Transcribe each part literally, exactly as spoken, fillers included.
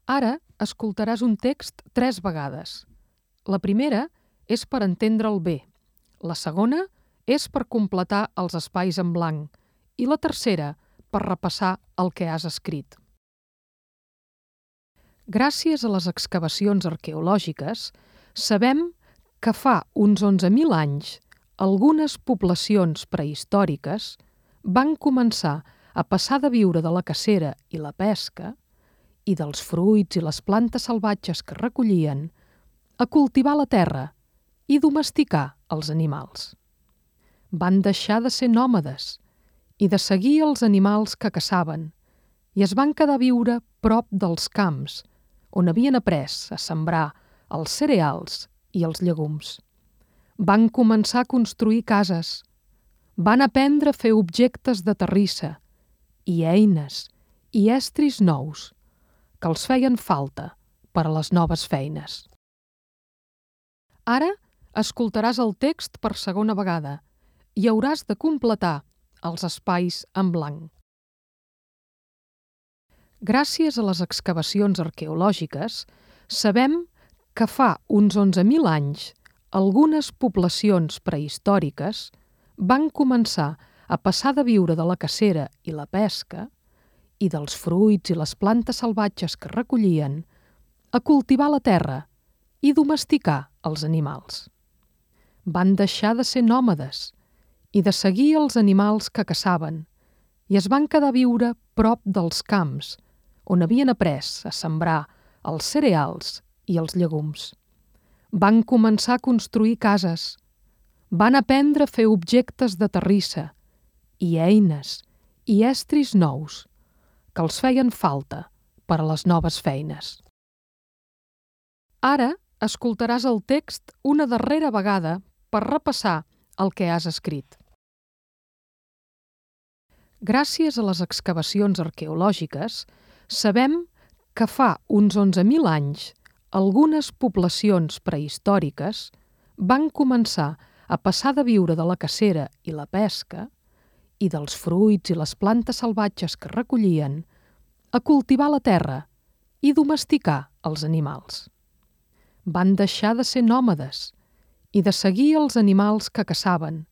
Ara escoltaràs un text tres vegades. La primera és per entendre'l bé, la segona és per completar els espais en blanc i la tercera per repassar el que has escrit. Gràcies a les excavacions arqueològiques, sabem que fa uns onze mil anys algunes poblacions prehistòriques van començar a passar de viure de la cacera i la pesca i dels fruits i les plantes salvatges que recollien a cultivar la terra i domesticar els animals. Van deixar de ser nòmades i de seguir els animals que caçaven i es van quedar a viure prop dels camps on havien après a sembrar els cereals i els llegums. Van començar a construir cases, van aprendre a fer objectes de terrissa i eines i estris nous que els feien falta per a les noves feines. Ara escoltaràs el text per segona vegada i hauràs de completar els espais en blanc. Gràcies a les excavacions arqueològiques, sabem que fa uns onze mil anys algunes poblacions prehistòriques van començar a passar de viure de la cacera i la pesca i dels fruits i les plantes salvatges que recollien a cultivar la terra i domesticar els animals. Van deixar de ser nòmades i de seguir els animals que caçaven i es van quedar a viure prop dels camps on havien après a sembrar els cereals i els llegums. Van començar a construir cases, van aprendre a fer objectes de terrissa i eines i estris nous que els feien falta per a les noves feines. Ara escoltaràs el text una darrera vegada per repassar el que has escrit. Gràcies a les excavacions arqueològiques, sabem que fa uns onze mil anys algunes poblacions prehistòriques van començar a passar de viure de la cacera i la pesca i dels fruits i les plantes salvatges que recollien a cultivar la terra i domesticar els animals. Van deixar de ser nòmades i de seguir els animals que caçaven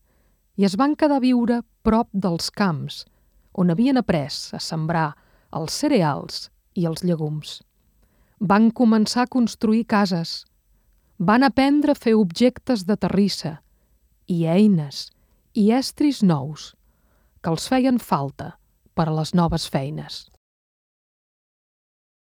i es van quedar a viure prop dels camps on havien après a sembrar els cereals i els llegums. Van començar a construir cases, van aprendre a fer objectes de terrissa i eines i estris nous que els feien falta per a les noves feines.